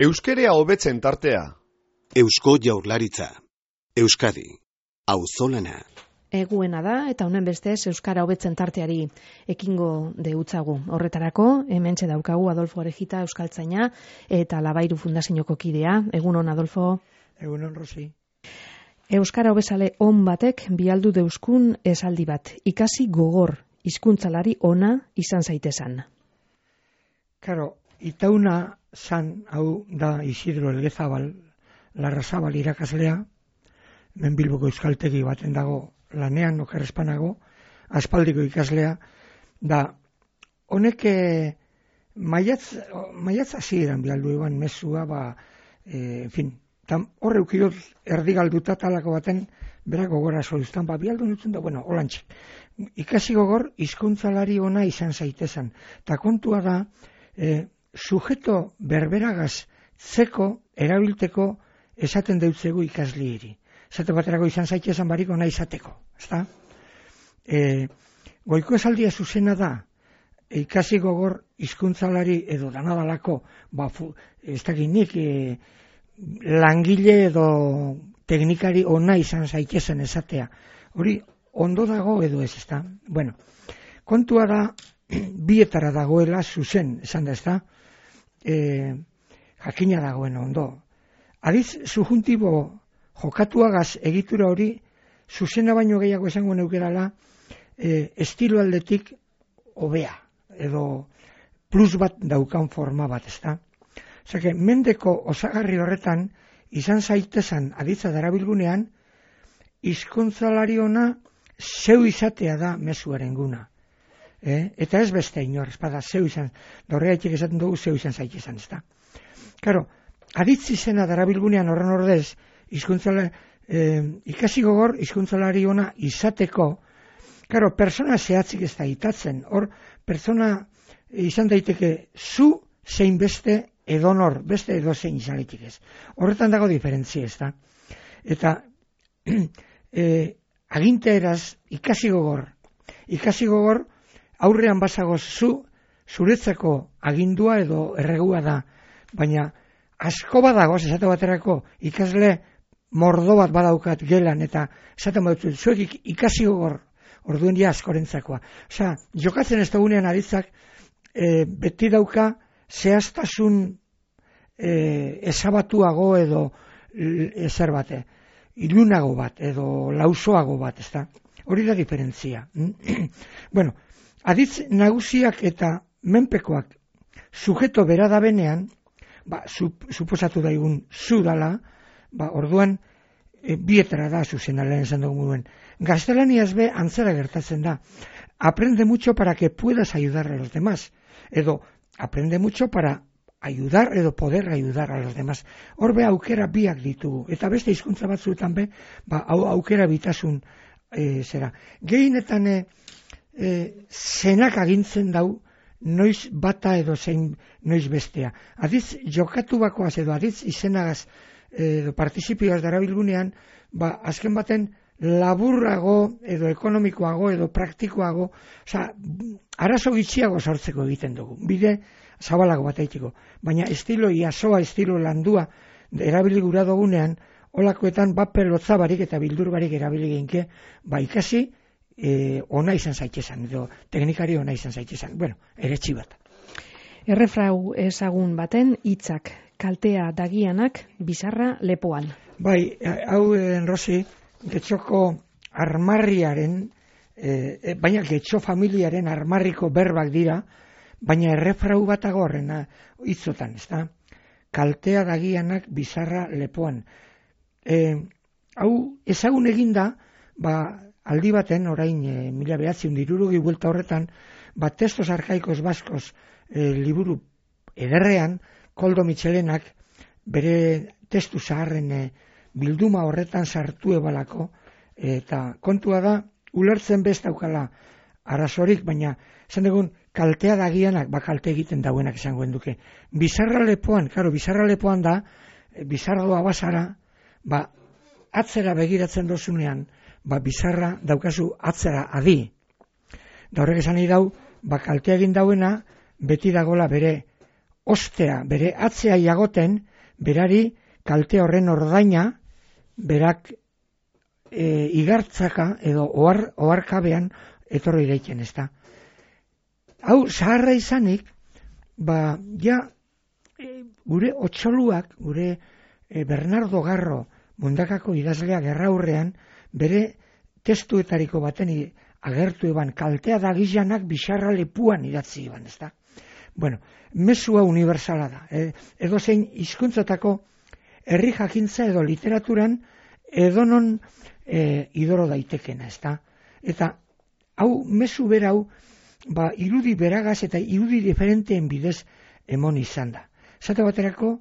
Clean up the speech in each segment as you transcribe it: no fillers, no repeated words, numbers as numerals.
Euskerea hobetzen tartea. Eusko Jaurlaritza. Euskadi. Auzolana. Eguena da eta honen bestez euskara hobetzen tarteari ekingo deutzagu. Horretarako hementxe daukagu Adolfo Orejita euskaltzaina eta Labairu Fundazioko kidea. Egunon Adolfo. Egunon Rosi. Euskara hobezale on batek bialdu deuskun esaldi bat. Ikasi gogor, hizkuntzalari ona izan zaitezan. Karo, itauna zan hau da Isidro Elgezabal, Larrazabal irakaslea, hemen Bilboko euskaltegi baten dago lanean, okerrezpanago, aspaldiko ikaslea, da honek maiatz hasieran bialdu eban mezua, horre ukidot erdigalduta talako baten, berak gogora soluztan, bialdu nutzen da, holantxe. Ikasi gogor, hizkuntzalari ona izan zaitezan. Ta kontua da, sujeto berberagaz zeko erabilteko esaten deutzegu ikaslieri. Esate baterako izan zaitezan barik ona izateko. Ezta? Goiko esaldia zuzena da, ikasi gogor hizkuntzalari edo danadalako, ez dakinik, langile edo teknikari ona izan zaitezen esatea. Hori ondo dago edo ez, ezta? Bueno, kontua da, bietara dagoela zuzen, esan da, ezta? Jakina dagoen ondo. Adiz, subjuntibo jokatuagaz egitura hori, zuzena baino gehiago esango neukerala, estilo aldetik hobea, edo plus bat daukan forma bat, ezta? Osea, mendeko osagarri horretan, izan zaitezan aditza darabilgunean, hizkuntzalari ona zeu izatea da mezuaren guna. Eta ez beste inor, espada, zeu izan, dorreatik esaten dugu zeu izan zaitezan, ezta? Karo, aditz izena darabilgunean horren ordez, ikasi gogor hizkuntzalari ona izateko, karo, persona zehatzik ez da itatzen, hor, persona izan daiteke zu zein beste edonor, beste edozein izan daiteke ez. Horretan dago diferentzia, ez da? Eta aginteeraz ikasi gogor aurrean bazagoz zuretzako agindua edo erregua da, baina asko badagoz, esate baterako ikasle mordo bat badaukat gelan, eta esaten badut, zuek ikasi gogor, orduen dia askorentzako. Osea, jokatzen ez dagunean aditzak, beti dauka zehaztasun ezabatuago edo ezer bate, ilunago bat edo lausoago bat, ezta? Hori da diferentzia. Bueno, aditz nagusiak eta menpekoak sujeto bera da benean, suposatu daigun zu dala, orduan bietara da zuzena lehen esan dugu duen. Gaztelaniaz be antzera gertatzen da. Aprende mucho para que puedas ayudar a los demás. Edo, aprende mucho para ayudar edo poder ayudar a los demás. Hor be aukera biak ditugu. Eta beste hizkuntza batzuetan be, aukera bitasun zera. Gehienetan zenak agintzen dau, noiz bata edo zein noiz bestea. Adiz jokatu bakoaz edo adiz izenagaz edo partizipioaz darabilgunean, azken baten laburrago edo ekonomikoago edo praktikoago, arazo gitxiago sortzeko egiten dugu. Bide zabalago bat eitiko. Baina estilo iasoa, estilo landua erabili gura dugunean, holakoetan pelotza barik eta bildur barik erabili genke, ikasi ona izan zaitezan, edo teknikari ona izan zaitezan. Bueno, eretsi bat. Errefrau ezagun baten hitzak, kaltea dagianak, bizarra lepoan. Bai, hau Rosi, getxoko armarriaren, baina getxo familiaren armarriko berbak dira, baina errefrau bat agorrena hitzotan, ezta? Kaltea dagianak, bizarra lepoan. Hau ezagun eginda, aldi baten, orain 1960 buelta horretan, Textos arcaicos vascos liburu ederrean, Koldo Mitxelenak bere testu zaharren bilduma horretan sartu ebalako, eta kontua da, ulertzen bestaukala arazorik, baina esan dugun, kaltea dagianak, kalte egiten dauenak esango duke. Bizarra lepoan, bizarra lepoan da, bizarroa bazara, atzera begiratzen dozunean, bizarra daukazu atzera adi. Da horrek esan nahi dau, kaltea egin dauena, beti dagola bere ostea, bere atzea jagoten, berari kalte horren ordaina, berak igartzaka edo oharkabean etorri daiten, ezta. Hau zaharra izanik, gure otxoluak, gure Bernardo Garro Mundakako idazlea gerraurrean, bere testuetariko baten agertu eban kaltea da gizanak bisarra lepuan idatzi eban, ezta. Bueno, mesua universala da. Edozein hizkuntzatako herri jakintza edo literaturan edonon idoro daitekena, ezta. Eta hau, mezu berau, irudi beragaz eta irudi diferenteen bidez emon izan da. Zate baterako,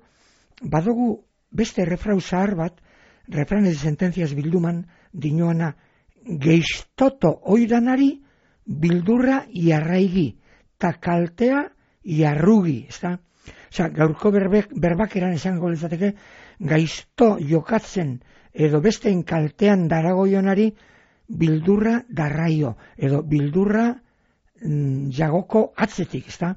badugu beste refrau zahar bat, refranes de sentencias bilduman dinoana, geistoto oidanari bildurra iarraigi, ta kaltea iarrugi, ezta? Osa, gaurko berbakeran esango lezateke, gaizto jokatzen edo besteen kaltean daragoionari bildurra darraio, edo bildurra jagoko atzetik, ezta?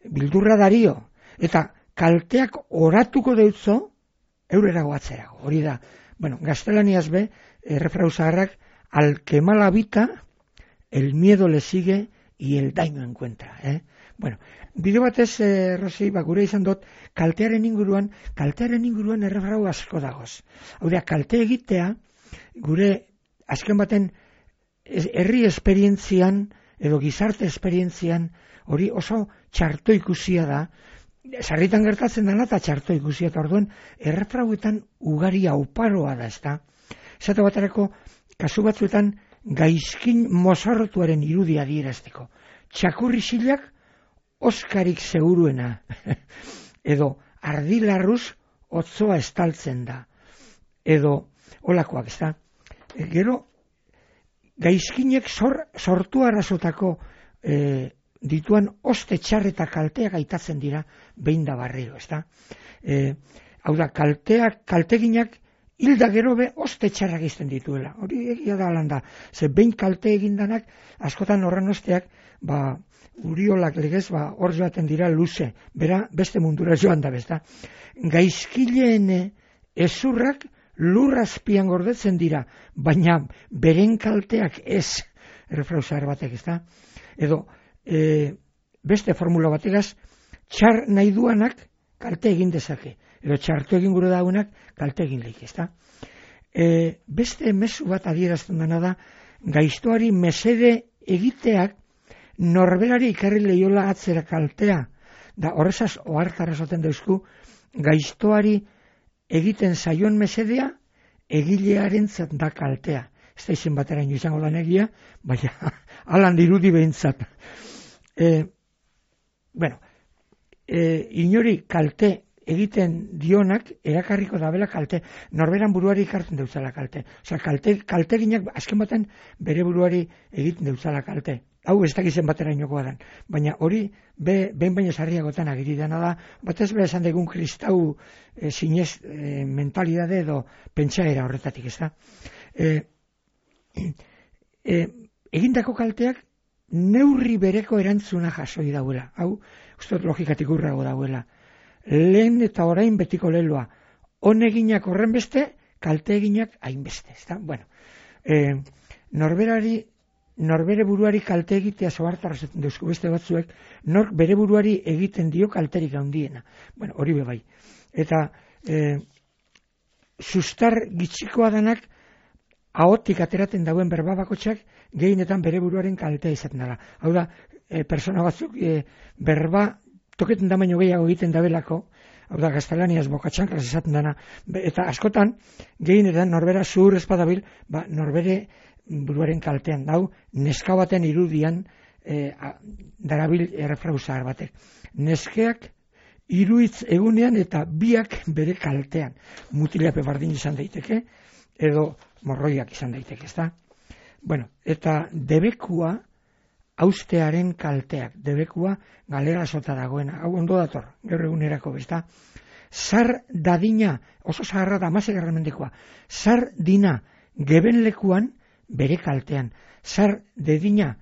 Bildurra dario, eta kalteak oratuko deutzo, eurerago atzerago, hori da. Bueno, gaztelaniaz be, refrau zaharrak, al que mal habita, el miedo le sigue y el daño encuentra. Bueno, bide batez, Rosi, gure izan dut, kaltearen inguruan errefrau asko dagoz. Hau da, kalte egitea, gure azken baten herri esperientzian, edo gizarte esperientzian, hori oso txarto ikusia da, sarritan gertatzen dena eta txarto ikusia, eta orduan, errefrauetan ugaria oparoa da, ezta. Esate baterako, kasu batzuetan, gaizkin mozorrotuaren irudia adierazteko. Txakurri xilak, oskarik seguruena, edo ardilarruz otzoa estaltzen da, edo olakoak, ezta. Gero, gaizkinek sortu arrazotako dituan oste txarreta kalteak aitatzen dira behin da barriro, ezta. Hau da, kalteginak hilda gero be oste txarrak izten dituela. Hori egia da alanda, ze behin kalte egindanak, askotan horren osteak, uriolak legez, hor joaten dira luze, bera beste mundura joan da, bezta. Gaizkileen ezurrak lurrazpian gordetzen dira, baina beren kalteak ez, errefrau zahar batek, ezta. Edo, beste formula bategaz, txar nahi duanak kalte egin dezake, edo txartu egin gure daunak kalte egin leik, ezta. Beste mezu bat adierazten dena da, gaiztoari mesede egiteak norberari ikarri lehiola atzera kaltea, da horrezaz ohartara esaten dauzku, gaiztoari egiten zaion mesedea, egilearen da kaltea. Ez da izen bateraino izango da negia, baina alan dirudi behintzat. Inori kalte egiten dionak erakarriko dabela kalte, norberan buruari ikartzen deutzala kalte. Osea, kalteginak azken baten bere buruari egiten deutzala kalte. Hau ez dakizen baterainokoa den, baina hori behin baino sarriagotan agiri dena da, batez bera esan degun kristau zinez mentalidade edo pentsaera horretatik, ez da. Egindako kalteak neurri bereko erantzuna jasoi dauela. Hau, uste logikatik urrago dauela. Lehen eta orain betiko leloa. Honeginak horren beste, kalte eginak hainbeste. Bueno, norbere buruari kalte egitea zohartara zaten duzku beste batzuek, nork bere buruari egiten dio kalterik handiena. Bueno, hori bebai. Eta sustar gitxikoa danak ahotik ateraten dauen berbabakotxak gehienetan bere buruaren kaltea izaten dela. Hau da, persona batzuk berba toketen da baino gehiago egiten dabelako, hau da, gaztelaniaz bokatxankaz izaten dena, eta askotan gehienetan norbera zuhur espadabil, norbere buruaren kaltean, hau neska baten irudian darabil errefrau zahar batek. Neskeak hiruitz egunean eta biak bere kaltean. Mutilape bardin izan daiteke, edo morroiak izan daiteke, ezta? Bueno, eta debekua austearen kalteak, debekua galera sota dagoena, hau ondo dator, gaur egunerako, ezta? Zar dadina, oso zaharra da, amasegarren mendekoa, zar dina gebenlekuan bere kaltean, zar dedina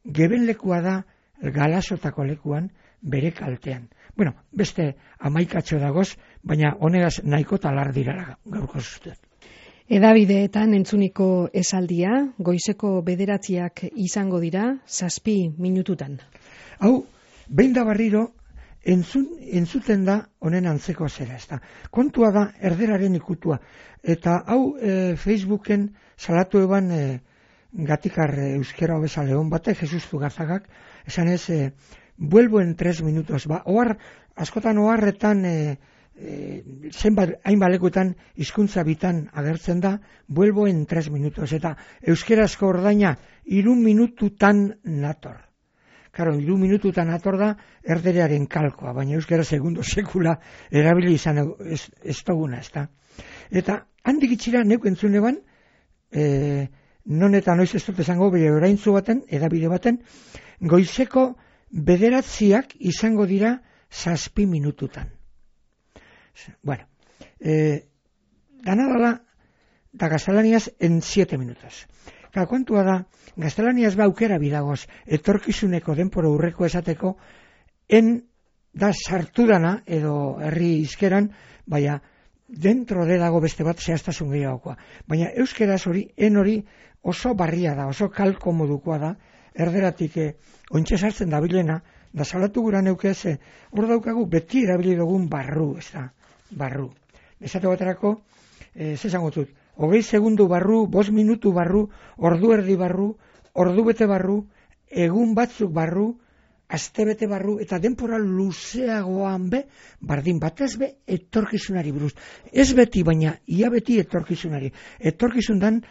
gebenlekua da galasotako lekuan bere kaltean. Bueno, beste amaikatxo dagoz, baina honegaz nahiko talar dirara gaurko zuztet. Edabideetan entzuniko esaldia, goizeko 9 izango dira, 7 minututan. Hau, behin da barriro, entzuten da honen antzeko zera, ezta. Kontua da erderaren ikutua. Eta hau Facebooken salatu eban gatikar euskera hobeza lehon bate, Jesus Zugazagak, esan ez, vuelvo en 3 minutos. Ba, askotan oharretan, zenbat hainbalekutan hizkuntza bitan agertzen da, vuelvo en 3 minutos. Eta euskerazko ordaina 3 minututan nator. Karo, 3 minututan ator da erderearen kalkoa, baina euskara segundo sekula erabili izan ez duguna, ez da. Eta handik itxira neuk entzun eban, non eta noiz ez dut esango, bere oraintzu baten, edabide baten, goizeko 9 izango dira 7 minututan. Bueno, ganadala da gaztelaniaz en 7 minutos. Kontua da, gaztelaniaz ba aukera bidagoz, etorkizuneko denporo urreko esateko, da sartu dana, edo herri izkeran, baina dentro de dago beste bat zehaztasun gehiagokoa. Baina euskeraz hori, hori oso barria da, oso kalko modukoa da, erderatik ointxe sartzen dabilena, da salatu gura neukez, hor daukagu beti erabili dugun barru, ez da, barru. Esate baterako, zezango dut, 20 segundu barru, 5 minutu barru, ordu erdi barru, ordu bete barru, egun batzuk barru, aste bete barru, eta denpora luzeagoan be, bardin batez be, etorkizunari buruz. Ez beti, baina ia beti etorkizunari. Etorkizun dan,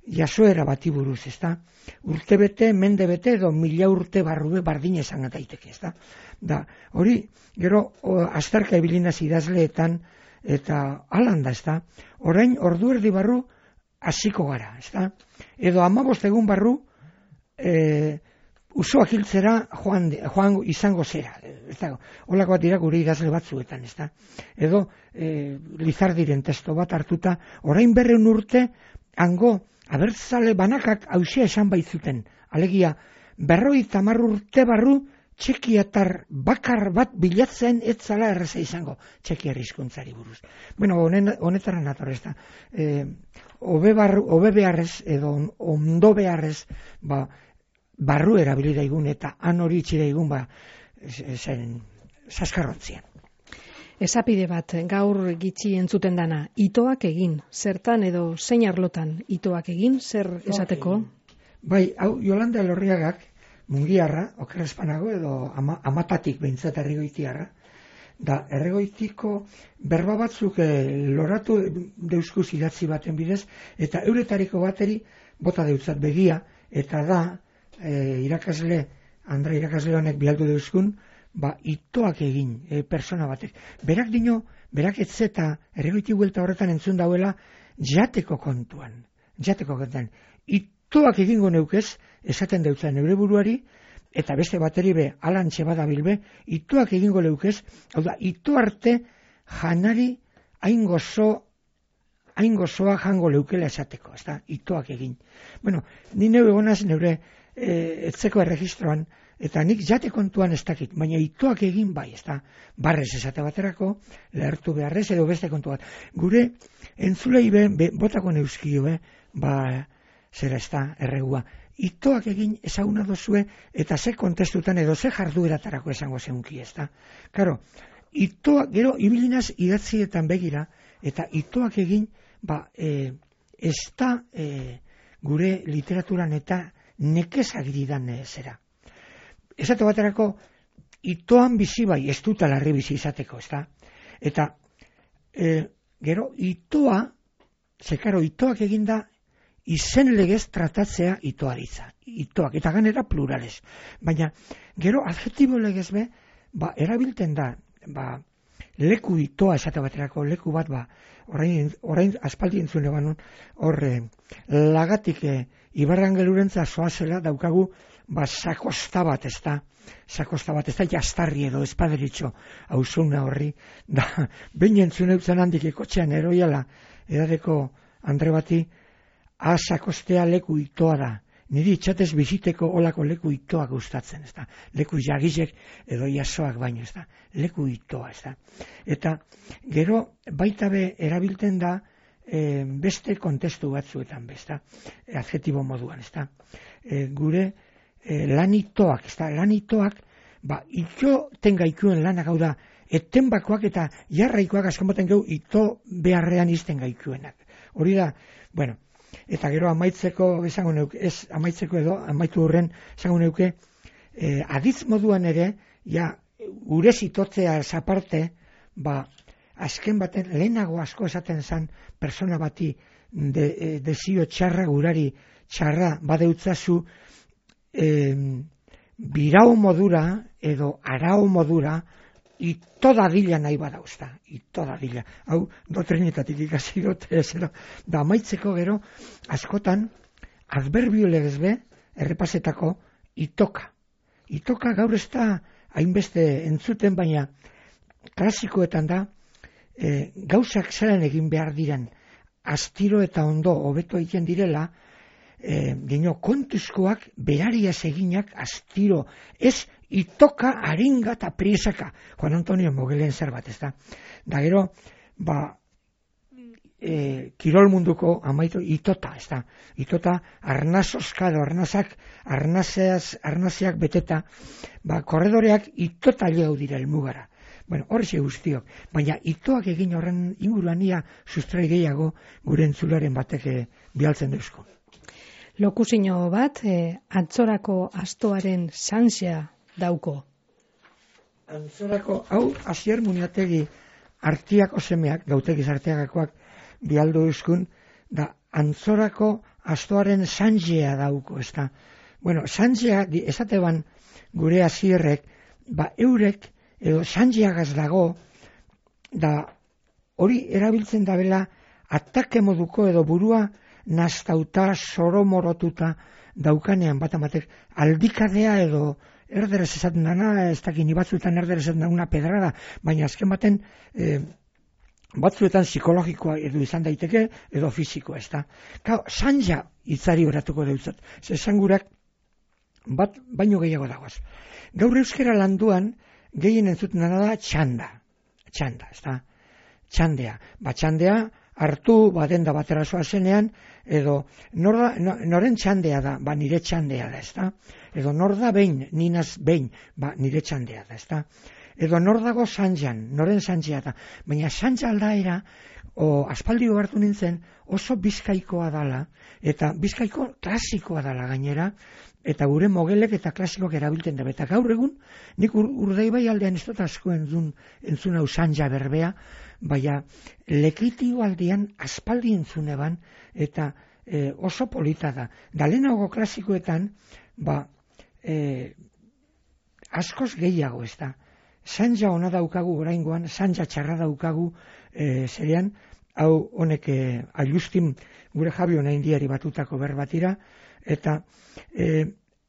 jasoera bati buruz, ez da? Urte bete, mende bete, edo 1000 urte barru be, bardin esan daiteke, ez da? Da, hori, gero, azterka ebilinaz idazleetan, eta alanda, ez da? Orain, ordu erdi barru, hasiko gara, ez da? Edo 15 egun barru, usoak hiltzera joan izango zera, ez da? Olako bat dira gure idazle batzuetan, ez da? Edo, Lizardiren testo bat hartuta, orain 200 urte, hango, abertzale banakak hausia esan baitzuten, alegia, 50 urte barru, txekiatar bakar bat bilatzen etzala erreza izango txekiar hizkuntzari buruz. Bueno, honetara nator ez da. Hobe beharrez edo ondo beharrez barru erabili daigun eta han hori itxi daigun saskarrontzian. Esapide bat, gaur gitxi entzuten dana, itoak egin, zertan edo zein arlotan itoak egin, zer esateko? Bai, hau Yolanda Elorriagak, mungiarra, okerrezpanago edo amatatik behintzat erregoitiarra, da erregoitiko berba batzuk loratu deuskuz idatzi baten bidez, eta euretariko bateri bota deutzat begia, eta da irakasle, Andra irakasle honek bialdu deuskun, itoak egin persona batek. Berak etzeta erregoiti huelta horretan entzun dauela jateko kontuan. Itoak egingo neukez, esaten deutza neure buruari, eta beste bateri be, alantxe badabilbe, itoak egingo leukez, hau da, ito arte janari hain gozoa jango leukela esateko, ez da, itoak egin. Bueno, ni neu egonaz neure etzeko erregistroan, eta nik jate kontuan ez dakit, baina itoak egin bai, ez da, barrez esate baterako, lehertu beharrez edo beste kontu bat. Gure entzulei botako neuskio, zera ez da, erregua. Itoak egin ezaguna dozue, eta ze kontestutan edo ze jardueratarako esango zeunki, ez da. Karo, itoak, gero, ibilinaz idatzietan begira, eta itoak egin, ez da gure literaturan eta nekezagiridan zera. Esate baterako, itoan bizi bai, ez dut alarri bizi izateko, ez da. Eta, gero, itoak eginda, izen legez tratatzea itoaritza. Itoak, eta ganera plurales. Baina, gero, adjetibo legez be, erabilten da, leku itoa esate baterako, leku bat, orain aspaldi entzune banun, lagatik Ibarrangelurentza zoazela daukagu, sakosta bat, ez da, jastarri edo espaderitxo hauzuna horri, da, behin entzune utzen handik ekotxean eroiala, edadeko Andre bati, sakostea leku itoa da, niri itxatez biziteko olako leku itoak gustatzen, ez da. Leku jagizek edo jasoak baino, ez da. Leku itoa, ez da. Eta gero baita be erabiltzen da beste kontestu batzuetan, ez da. Adjetibo moduan, ez da. Gure lanitoak, ez da. Lanitoak, ito tengaikuen lanak, hau da, etenbakoak eta jarraikoak askomoten gehu ito beharrean izten gaikuenak. Hori da, bueno, eta gero amaitzeko esango neuke, ez amaitzeko edo, amaitu horren esango neuke, aditz moduan ere, gure zitotzea zaparte, azken baten lehenago asko esaten zen persona bati dezio txarra gurari txarra badeutzazu birau modura edo arau modura ito dadila nahi badauzta, ito dadila. Hau, doktrinetatik ikasi dut, da amaitzeko gero, askotan, adverbio legezbe, errepasetako, itoka. Itoka gaur ez da, hainbeste entzuten, baina klasikoetan da, gauzak zelan egin behar diren, astiro eta ondo hobeto egiten direla, dino kontuzkoak berariaz eginak astiro, ez itoka, aringa eta priesaka. Juan Antonio Mogelen zer bat, ez da. Da gero, kirol munduko amaitu itota, ez da. Itota, arnazoskado, arnazeak beteta, korredoreak itota lehau dira elmugara. Bueno, horrexe guztiok, baina itoak egin horren inguruan ia sustrai gehiago gure entzularen batek bialtzen duzko. Lokusino bat, antzorako astoaren sanxea dauko. Antzorako, hau, Asier Muniategi artiak osemeak, gautegiz artiagakoak bialdu euskun, da antzorako astoaren sanxea dauko, ez da. Bueno, sanxea, esateban gure Asierrek, eurek, edo sanxeagaz dago, da hori erabiltzen dabela atake moduko edo burua nastauta, soromorotuta daukanean bat amatek aldikadea edo erderaz esaten dana, ez dakin batzuetan erderaz esaten dana pedrada, baina azken baten batzuetan psikologikoa edo izan daiteke edo fizikoa, ez da. Sanja hitzari horatuko deutzat, zesangurak bat baino gehiago dagoaz. Gaur euskera landuan gehien entzuten dana da txanda, ez da. Txandea, txandea hartu denda batera zoa zenean, edo noren txandea da, nire txandea da, ez da. Edo nor da behin, ninaz behin, nire txandea da, ez da. Edo nor dago sanjan, noren sanjea da. Baina sanja aldaera, aspaldi hartu nintzen, oso bizkaikoa dala, eta bizkaiko klasikoa dala gainera, eta gure mogelek eta klasikoak erabiltzen da. Eta gaur egun, nik Urdaibai aldean ez dut asko entzun hau sanja berbea, baina lekitio aldean aspaldi entzuneban, eta oso polita da. Da lehenago klasikoetan, askoz gehiago ez da. Sanja ona daukagu oraingoan, sanja txarra daukagu zerean, hau honek ailustin gure Javi ona indiari batutako berbatira, eta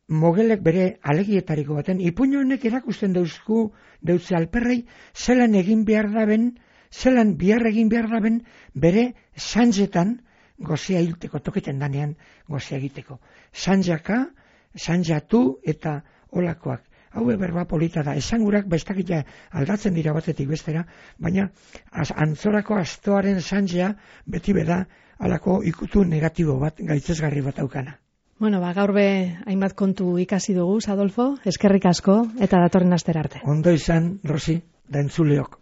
mogelek bere alegietariko baten, ipuño honek erakusten deutze alperrei, zelan egin behar daben, zelan bihar egin behar daben, bere sanjetan, gozea hilteko, toketen danean gozea egiteko. Sanjaka, sanjatu eta olakoak. Hau berba polita da, esangurak bestakita aldatzen dira batetik bestera, baina antzorako astoaren sanjea beti beda alako ikutu negatibo bat, gaitzesgarri bat aukana. Bueno, gaur be hainbat kontu ikasi dugu, Adolfo, eskerrik asko eta datorren astera arte. Ondo izan, Rosi, da entzuleok.